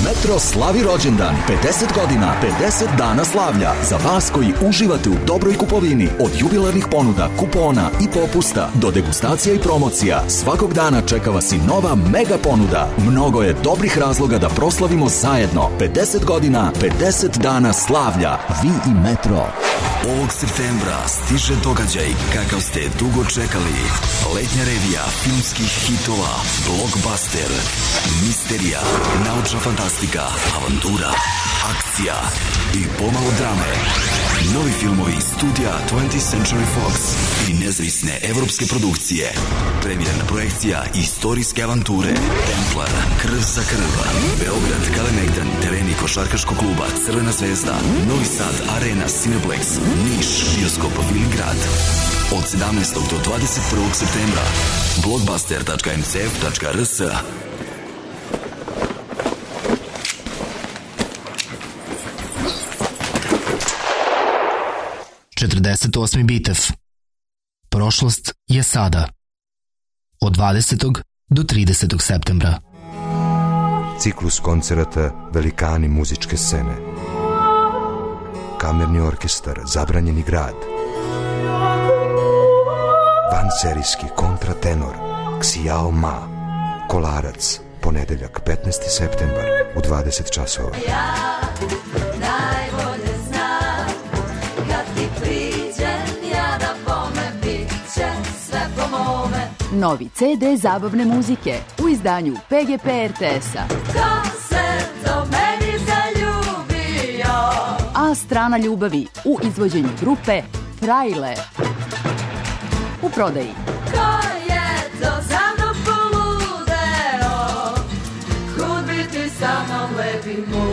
Metro slavi rođendan, pedeset godina, pedeset dana slavlja. Za vas koji uživate u dobroj kupovini, od jubilarnih ponuda, kupona i popusta do degustacija i promocija, svakog dana čeka vas i nova mega ponuda. Mnogo je dobrih razloga da proslavimo zajedno. pedeset godina, pedeset dana slavlja. Vi i Metro. Ovog septembra stiže događaj kakav ste dugo čekali. Letnja revija filmskih hitova, blockbuster, misterija, naučna fantastika, avantura, akcija i pomalo drame. Novi filmovi studija twentieth Century Fox i nezavisne evropske produkcije. Premijerna projekcija istorijske avanture Templar, Krv za krv, Beograd, Kalemegdan, tereni košarkaškog kluba Crvena zvezda, Novi Sad, Arena, Cineplex, Niš, bioskop Viligrad. Od sedamnaestog do dvadeset prvog septembra. blockbuster tačka em ce ef tačka er es. četrdeset osmi Bitev. Prošlost je sada. Od dvadesetog do tridesetog septembra. Ciklus koncerata Velikani muzičke scene. Kamerni orkestar Zabranjeni grad. Vanserijski kontratenor Xiao Ma. Kolarac, ponedeljak petnaesti septembar u dvadeset časova. Ja najbolje znam kad ti priđem ja da bome bit će sve po mome. Novi ce de zabavne muzike u izdanju pe ge pe er te es-a. Ko se do meni zaljubio? A strana ljubavi u izvođenju grupe Frajle. U prodaji. Ko je to za mnom poludeo? Kud bi ti sa mnom lepi moj?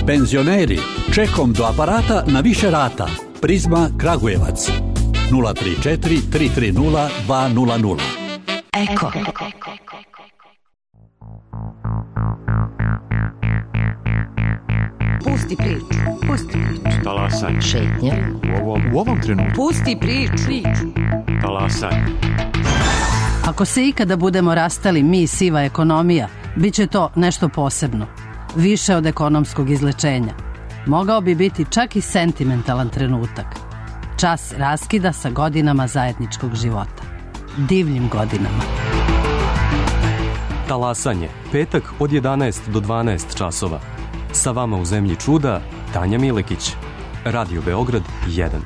Penzioneri, čekom do aparata na više rata. Prizma Kragujevac. nula tri četiri tri tri nula dva nula nula. Eko. Pusti priču. Pusti priču. Talasanje. Šetnja. U ovom, u ovom trenutku. Pusti priču. priču. Talasanje. Ako se ikada budemo rastali mi siva ekonomija, bit će to nešto posebno. Više od ekonomskog izlečenja. Mogao bi biti čak i sentimentalan trenutak. Čas raskida sa godinama zajedničkog života. Divljim godinama. Talasanje. Petak od jedanaest do dvanaest časova. Sa vama u zemlji čuda, Tanja Milekić. Radio Beograd jedan.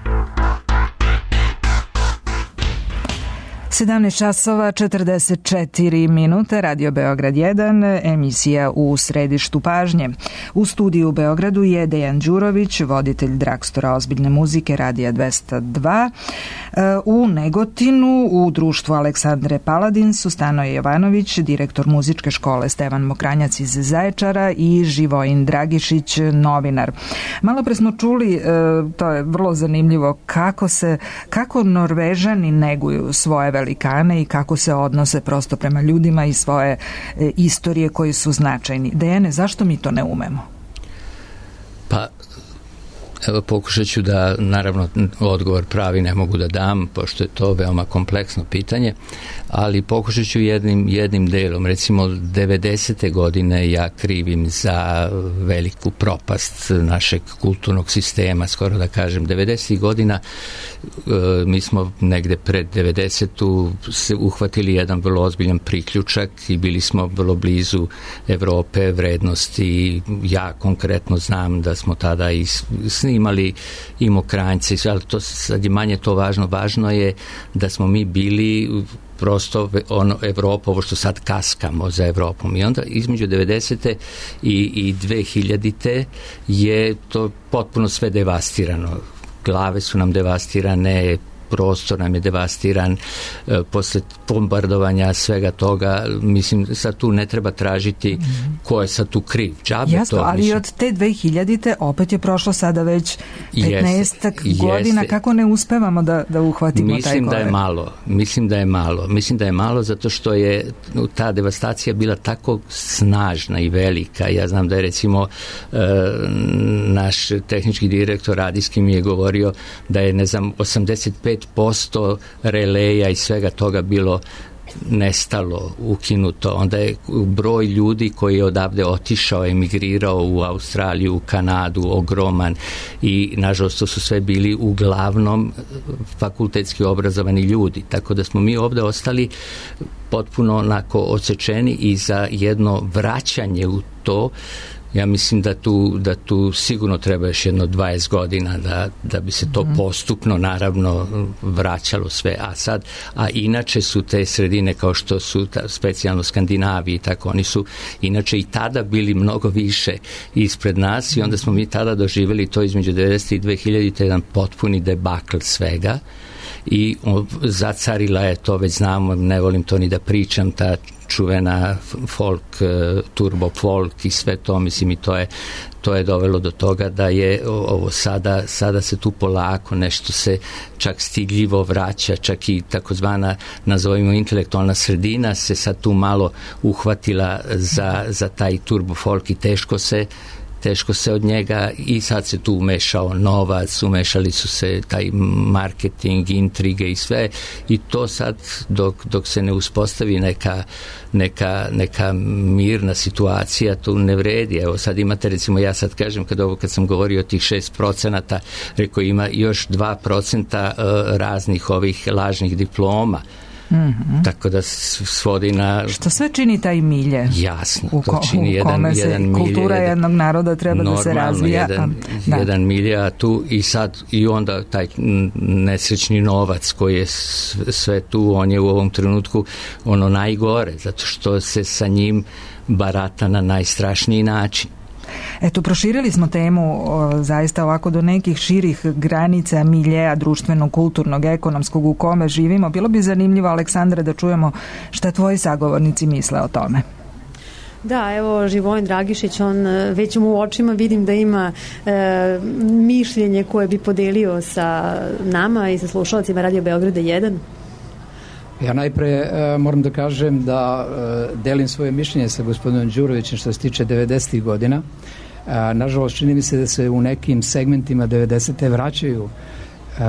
sedamnaest časova četrdeset četiri minuta, Radio Beograd jedan, emisija u središtu pažnje. U studiju u Beogradu je Dejan Đurović, voditelj Dragstora ozbiljne muzike Radija dvesta dva. U Negotinu, u društvu Aleksandre Paladinsu, Stanoje Jovanović, direktor muzičke škole Stevan Mokranjac iz Zaječara i Živojin Dragišić, novinar. Malo pre smo čuli, to je vrlo zanimljivo, kako se, kako Norvežani neguju svoje velikane i kako se odnose prosto prema ljudima i svoje e, istorije koji su značajni. Dejane, zašto mi to ne umemo? Pa, evo pokušat ću da, naravno, odgovor pravi ne mogu da dam, pošto je to veoma kompleksno pitanje, ali pokušat ću jednim, jednim delom. Recimo, devedesete godine ja krivim za veliku propast našeg kulturnog sistema, skoro da kažem. devedesetih godina mi smo negde pred devedesetu se uhvatili jedan vrlo ozbiljan priključak i bili smo vrlo blizu Evrope, vrednosti. Ja konkretno znam da smo tada i snimali i Mokranjce, ali to sad je manje to važno. Važno je da smo mi bili prosto ono Evropa, ovo što sad kaskamo za Evropom. I onda između devedesete i, i dve hiljadite je to potpuno sve devastirano. Glave su nam devastirane, prostor nam je devastiran e, posle bombardovanja svega toga. Mislim, sad tu ne treba tražiti mm-hmm. ko je sad tu kriv. Džabe Jasno, to, ali mislim. od te dve hiljadite opet je prošlo sada već petnaestak godina. Jeste. Kako ne uspevamo da, da uhvatimo mislim taj korak? Da je malo. Mislim da je malo. Mislim da je malo zato što je ta devastacija bila tako snažna i velika. Ja znam da je recimo e, naš tehnički direktor radijski mi je govorio da je, ne znam, osamdeset pet posto releja i svega toga bilo nestalo, ukinuto. Onda je broj ljudi koji je odavde otišao, emigrirao u Australiju, u Kanadu, ogroman i nažalost to su sve bili uglavnom fakultetski obrazovani ljudi. Tako da smo mi ovde ostali potpuno onako odsečeni i za jedno vraćanje u to. Ja mislim da tu, da tu sigurno treba još jedno dvadeset godina da, da bi se to mm. postupno naravno vraćalo sve. A sad, a inače su te sredine kao što su ta, specijalno Skandinaviji, tako oni su inače i tada bili mnogo više ispred nas i onda smo mi tada doživjeli to između devedeset i dve hiljadite jedan potpuni debakl svega i o, zacarila je to, već znamo, ne volim to ni da pričam, ta čuvena folk, turbo folk i sve to, mislim, i to je to je dovelo do toga da je ovo sada, sada se tu polako nešto se čak stidljivo vraća, čak i takozvana, nazovimo, intelektualna sredina se sad tu malo uhvatila za, za taj turbo folk i teško se teško se od njega i sad se tu umešao novac, umešali su se taj marketing, intrige i sve i to sad dok, dok se ne uspostavi neka, neka, neka mirna situacija tu ne vredi. Evo sad imate recimo, ja sad kažem kad ovo kad sam govorio o tih šest procenata, rekao ima još dva procenta raznih ovih lažnih diploma. Mm-hmm. Tako da svodi na... Što sve čini taj milje? Jasno, u ko, to čini u jedan, kome se jedan milje. Kultura jednog naroda treba da se razvija. Jedan, da. jedan milje, a tu i sad i onda taj nesrećni novac koji je sve tu, on je u ovom trenutku ono najgore, zato što se sa njim barata na najstrašniji način. Eto, proširili smo temu o, zaista ovako do nekih širih granica miljeja društvenog, kulturnog, ekonomskog u kome živimo. Bilo bi zanimljivo, Aleksandra, da čujemo šta tvoji sagovornici misle o tome. Da, evo Živojin Dragišić, on već mu u očima vidim da ima e, mišljenje koje bi podelio sa nama i sa slušalcima Radio Beograda jedan. Ja najpre e, moram da kažem da e, delim svoje mišljenje sa gospodinom Đurovićem što se tiče devedesetih godina. E, nažalost, čini mi se da se u nekim segmentima devedesete vraćaju. E,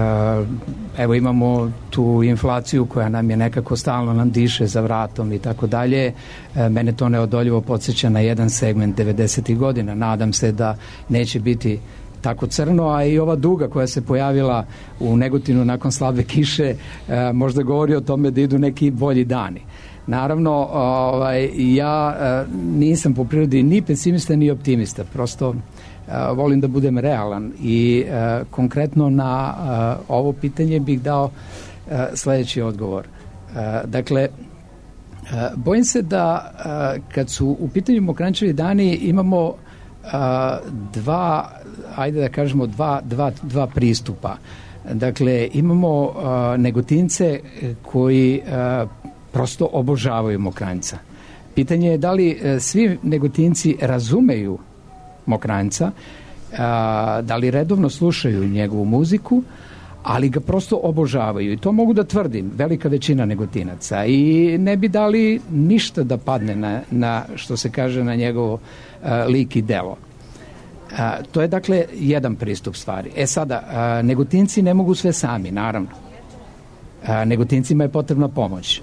evo imamo tu inflaciju koja nam je nekako stalno nam diše za vratom i tako dalje. E, mene to neodoljivo podsjeća na jedan segment devedesetih godina. Nadam se da neće biti tako crno, a i ova duga koja se pojavila u Negotinu nakon slabe kiše e, možda govori o tome da idu neki bolji dani. Naravno, ovaj, ja e, nisam po prirodi ni pesimista ni optimista, prosto e, volim da budem realan i e, konkretno na e, ovo pitanje bih dao e, sledeći odgovor. E, dakle, e, bojim se da e, kad su u pitanju Mokranjčevi dani imamo e, dva ajde da kažemo dva, dva, dva pristupa. Dakle, imamo uh, Negotince koji uh, prosto obožavaju Mokranjca. Pitanje je da li uh, svi Negotinci razumeju Mokranjca, uh, da li redovno slušaju njegovu muziku, ali ga prosto obožavaju. I to mogu da tvrdim, velika većina Negotinaca. I ne bi dali ništa da padne na, na što se kaže, na njegovo uh, lik i delo. A, to je dakle jedan pristup stvari. E sada, a, Negotinci ne mogu sve sami, naravno. A, Negotincima je potrebna pomoć.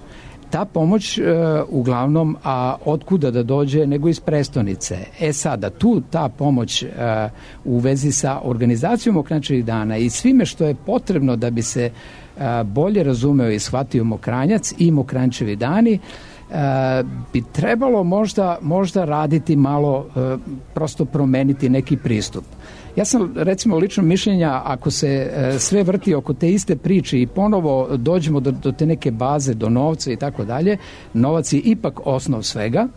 Ta pomoć a, uglavnom, a otkuda da dođe nego iz prestonice. E sada, tu ta pomoć a, u vezi sa organizacijom Mokranjčevih dana i svime što je potrebno da bi se a, bolje razumeo i shvatio Mokranjac i Mokranjčevi dani, Uh, bi trebalo možda, možda raditi malo, uh, prosto promeniti neki pristup. Ja sam recimo lično mišljenja, ako se uh, sve vrti oko te iste priče i ponovo dođemo do, do te neke baze, do novca i tako dalje, novac je ipak osnov svega.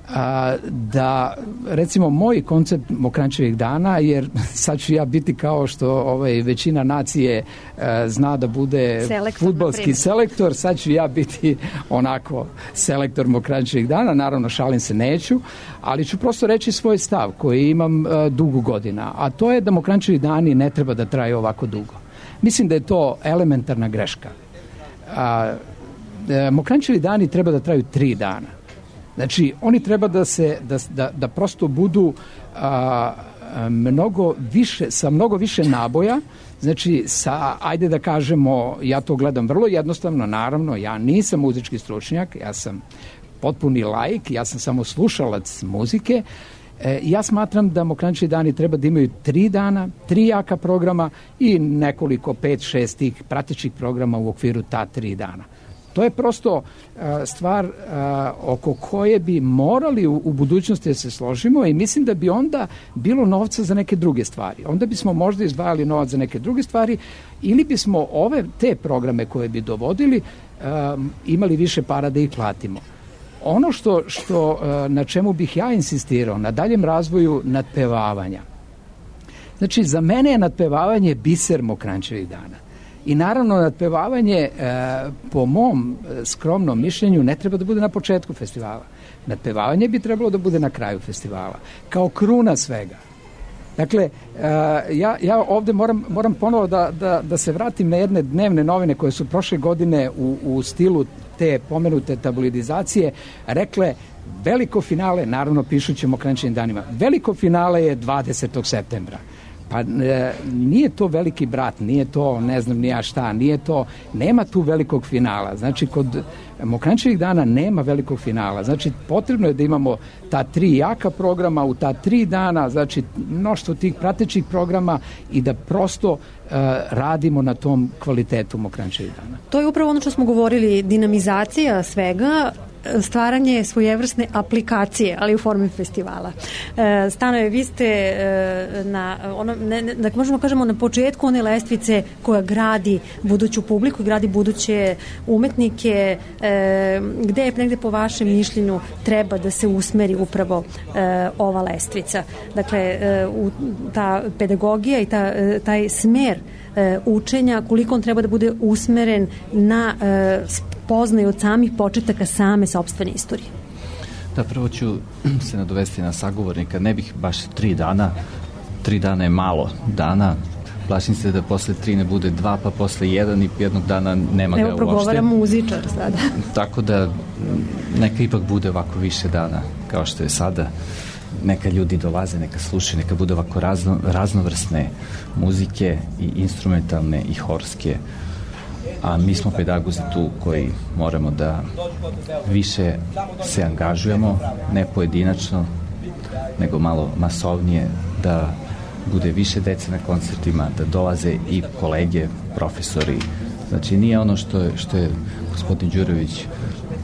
Uh, a, da recimo moj koncept Mokranjčevih dana, jer sad ću ja biti kao što ovaj, većina nacije a, zna da bude fudbalski selektor, sad ću ja biti onako selektor Mokranjčevih dana, naravno šalim se neću, ali ću prosto reći svoj stav koji imam a, dugo godina, a to je da Mokranjčevi dani ne treba da traju ovako dugo. Mislim da je to elementarna greška. A, a, Mokranjčevi dani treba da traju tri dana. Znači, oni treba da se, da, da, da prosto budu a, a, mnogo više, sa mnogo više naboja, znači, sa, ajde da kažemo, ja to gledam vrlo jednostavno, naravno, ja nisam muzički stručnjak, ja sam potpuni laik, ja sam samo slušalac muzike, e, ja smatram da Mokranjčevi dani treba da imaju tri dana, tri jaka programa i nekoliko, pet, šest tih pratećih programa u okviru ta tri dana. To je prosto uh, stvar uh, oko koje bi morali u, u budućnosti da se složimo i mislim da bi onda bilo novca za neke druge stvari. Onda bismo možda izdvajali novac za neke druge stvari ili bismo ove te programe koje bi dovodili um, imali više para da ih platimo. Ono što, što uh, na čemu bih ja insistirao, na daljem razvoju nadpevavanja. Znači, za mene je nadpevavanje biser Mokranjčevih dana. I naravno, nadpevavanje, e, po mom skromnom mišljenju, ne treba da bude na početku festivala. Nadpevavanje bi trebalo da bude na kraju festivala, kao kruna svega. Dakle, e, ja, ja ovde moram, moram ponovo da, da, da se vratim na jedne dnevne novine koje su prošle godine u, u stilu te pomenute tabloidizacije rekle veliko finale, naravno pišući Mokranjčevim danima, veliko finale je dvadesetog septembra. Pa e, nije to veliki brat, nije to ne znam ni ja šta, nije to, nema tu velikog finala. Znači, kod Mokranjčevih dana nema velikog finala. Znači, potrebno je da imamo ta tri jaka programa u ta tri dana, znači, mnoštvo tih pratećih programa i da prosto e, radimo na tom kvalitetu Mokranjčevih dana. To je upravo ono što smo govorili, dinamizacija svega, stvaranje svojevrsne aplikacije, ali u formi festivala. E, Stanoje, vi ste e, na ono, ne, ne, da možemo kažemo na početku one lestvice koja gradi buduću publiku, gradi buduće umetnike, e, gde je negde po vašem mišljenju treba da se usmeri upravo e, ova lestvica. Dakle, e, u, ta pedagogija i ta, e, taj smer e, učenja, koliko on treba da bude usmeren na e, poznaju od samih početaka same sopstvene istorije. Da, prvo ću se nadovesti na sagovornika. Ne bih baš tri dana. Tri dana je malo dana. Plašim se da posle tri ne bude dva, pa posle jedan i jednog dana nema ga uopšte. Evo progovara muzičar sada. Tako da neka ipak bude ovako više dana kao što je sada. Neka ljudi dolaze, neka slušaju, neka bude ovako razno, raznovrsne muzike i instrumentalne i horske. A mi smo pedagozi tu koji moramo da više se angažujemo, ne pojedinačno, nego malo masovnije, da bude više dece na koncertima, da dolaze i kolege, profesori. Znači, nije ono što je, što je gospodin Đurović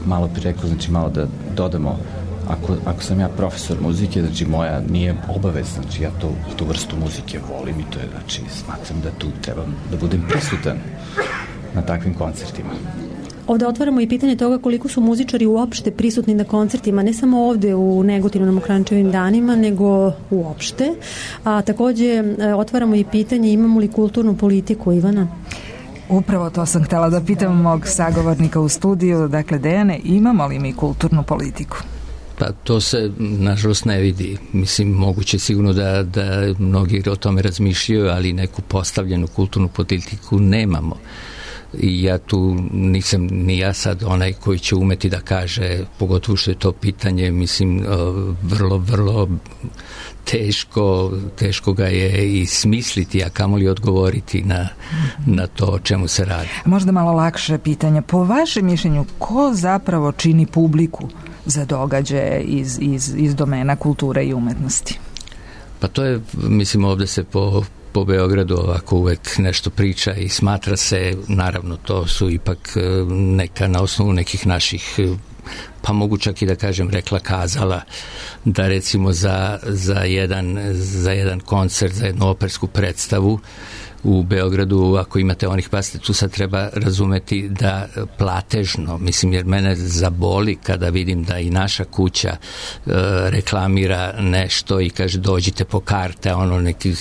malo pri rekao, znači malo da dodamo, ako, ako sam ja profesor muzike, znači moja nije obavezna, znači ja to, tu vrstu muzike volim i to je, znači smatram da tu trebam da budem prisutan na takvim koncertima. Ovde otvaramo i pitanje toga koliko su muzičari uopšte prisutni na koncertima, ne samo ovde u Negotinu na Mokranjčevim danima, nego uopšte. A takođe otvaramo i pitanje imamo li kulturnu politiku, Ivana? Upravo to sam htela da pitam mog sagovornika u studiju, dakle Dejane, imamo li mi kulturnu politiku? Pa to se nažalost ne vidi. Mislim, moguće sigurno da, da mnogi o tome razmišljaju, ali neku postavljenu kulturnu politiku nemamo. I ja tu nisam ni ja sad onaj koji će umeti da kaže, pogotovo što je to pitanje, mislim, vrlo, vrlo teško, teško ga je i smisliti, a kamoli odgovoriti na, na to o čemu se radi. Možda malo lakše pitanje. Po vašem mišljenju, ko zapravo čini publiku za događaje iz, iz, iz domena kulture i umetnosti? Pa to je, mislim, ovde se po po Beogradu ovako uvek nešto priča i smatra se, naravno to su ipak neka na osnovu nekih naših, pa mogu čak i da kažem rekla kazala, da recimo za, za, jedan, za jedan koncert, za jednu opersku predstavu u Beogradu, ako imate onih, pasite, tu sad treba razumeti da platežno, mislim, jer mene zaboli kada vidim da i naša kuća e, reklamira nešto i kaže dođite po karte, ono neki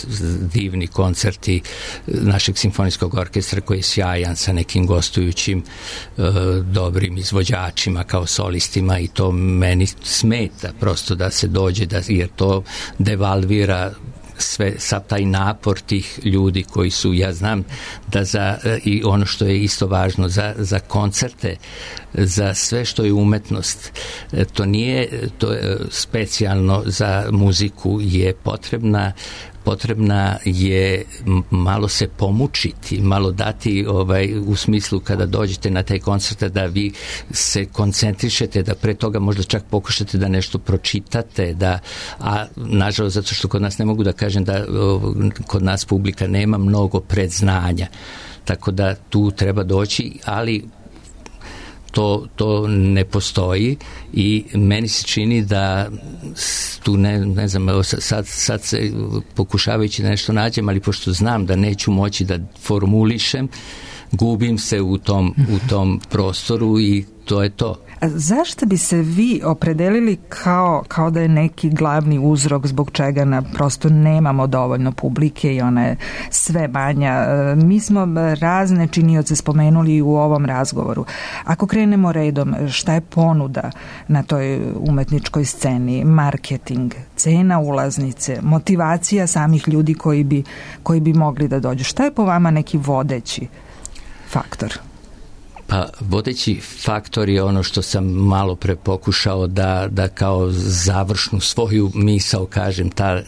divni koncerti našeg simfonijskog orkestra koji je sjajan sa nekim gostujućim e, dobrim izvođačima kao solistima i to meni smeta prosto da se dođe, da, jer to devalvira sve, sav taj napor tih ljudi koji su, ja znam da za, i ono što je isto važno za, za koncerte, za sve što je umetnost, to nije to je specijalno za muziku, je potrebna potrebna je malo se pomučiti, malo dati ovaj, u smislu kada dođete na taj koncert da vi se koncentrišete, da pre toga možda čak pokušate da nešto pročitate, da, a nažalost zato što kod nas ne mogu da kažem da o, kod nas publika nema mnogo predznanja, tako da tu treba doći, ali To, to ne postoji i meni se čini da tu ne, ne znam, sad, sad se pokušavajući da nešto nađem, ali pošto znam da neću moći da formulišem, gubim se u tom, u tom prostoru i to je to. A zašto bi se vi opredelili kao, kao da je neki glavni uzrok zbog čega na prosto nemamo dovoljno publike i ona je sve manja? Mi smo razne činioce spomenuli u ovom razgovoru. Ako krenemo redom, šta je ponuda na toj umetničkoj sceni? Marketing, cena ulaznice, motivacija samih ljudi koji bi, koji bi mogli da dođu. Šta je po vama neki vodeći faktor? Pa vodeći faktor je ono što sam malo pre pokušao da, da kao završnu svoju misao kažem, ta,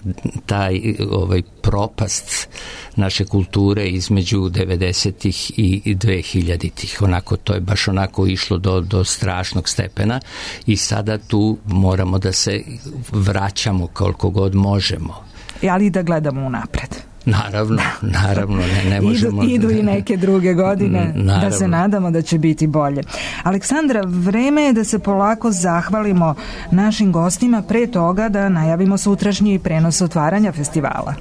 taj ovaj, propast naše kulture između devedesetih i dve hiljaditih. Onako, to je baš onako išlo do, do strašnog stepena i sada tu moramo da se vraćamo koliko god možemo. Ali da gledamo unapred. Naravno, naravno, ne, ne možemo... Idu, idu i neke druge godine, naravno, da se nadamo da će biti bolje. Aleksandra, vreme je da se polako zahvalimo našim gostima, pre toga da najavimo sutrašnji prenos otvaranja festivala.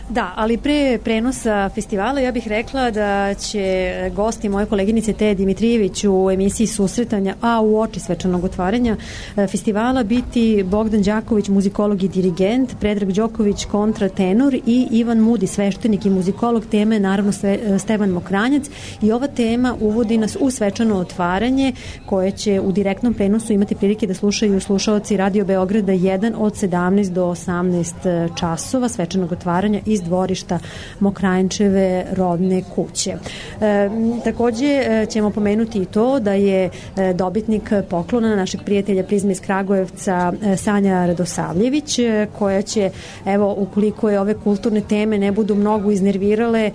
Da, ali pre prenosa festivala ja bih rekla da će gosti moje koleginice Teje Dimitrijević u emisiji Susretanja, a u oči svečanog otvaranja festivala biti Bogdan Đaković, muzikolog i dirigent, Predrag Đoković, kontratenor i Ivan Mudi, sveštenik i muzikolog. Tema je naravno sve, Stevan Mokranjac i ova tema uvodi nas u svečano otvaranje koje će u direktnom prenosu imati prilike da slušaju slušaoci Radio Beograda jedan od sedamnaest do osamnaest časova svečanog otvaranja iz dvorišta Mokranjčeve rodne kuće. E, takođe ćemo pomenuti i to da je dobitnik poklona našeg prijatelja Prizme iz Kragujevca Sanja Radosavljević, koja će, evo, ukoliko je ove kulturne teme ne budu mnogo iznervirale,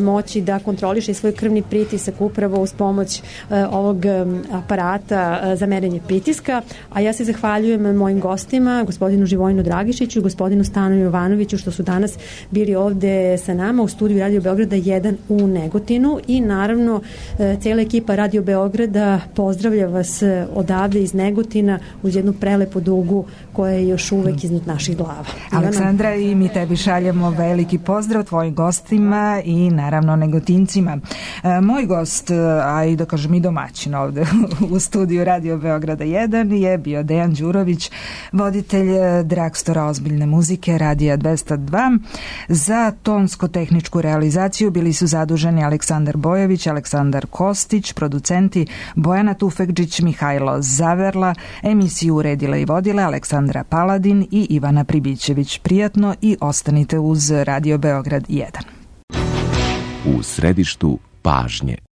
moći da kontroliše svoj krvni pritisak upravo uz pomoć ovog aparata za merenje pritiska. A ja se zahvaljujem mojim gostima, gospodinu Živojinu Dragišiću i gospodinu Stanu Jovanoviću, što su danas bili ovde sa nama u studiju Radio Beograda jedan u Negotinu i naravno cijela ekipa Radio Beograda pozdravlja vas odavde iz Negotina uz jednu prelepu dugu koja je još uvek iznad naših glava. Aleksandra, i mi tebi šaljemo veliki pozdrav tvojim gostima i naravno Negotincima. Moj gost, a i da kažem i domaćin ovde u studiju Radio Beograda jedan je bio Dejan Đurović, voditelj Dragstora ozbiljne muzike Radija dvesta dva. Za tonsko-tehničku realizaciju bili su zaduženi Aleksandar Bojović, Aleksandar Kostić, producenti Bojana Tufekđić, Mihajlo Zaverla, emisiju uredila i vodila Aleksandra Paladin i Ivana Pribićević. Prijatno i ostanite uz Radio Beograd jedan. U središtu pažnje.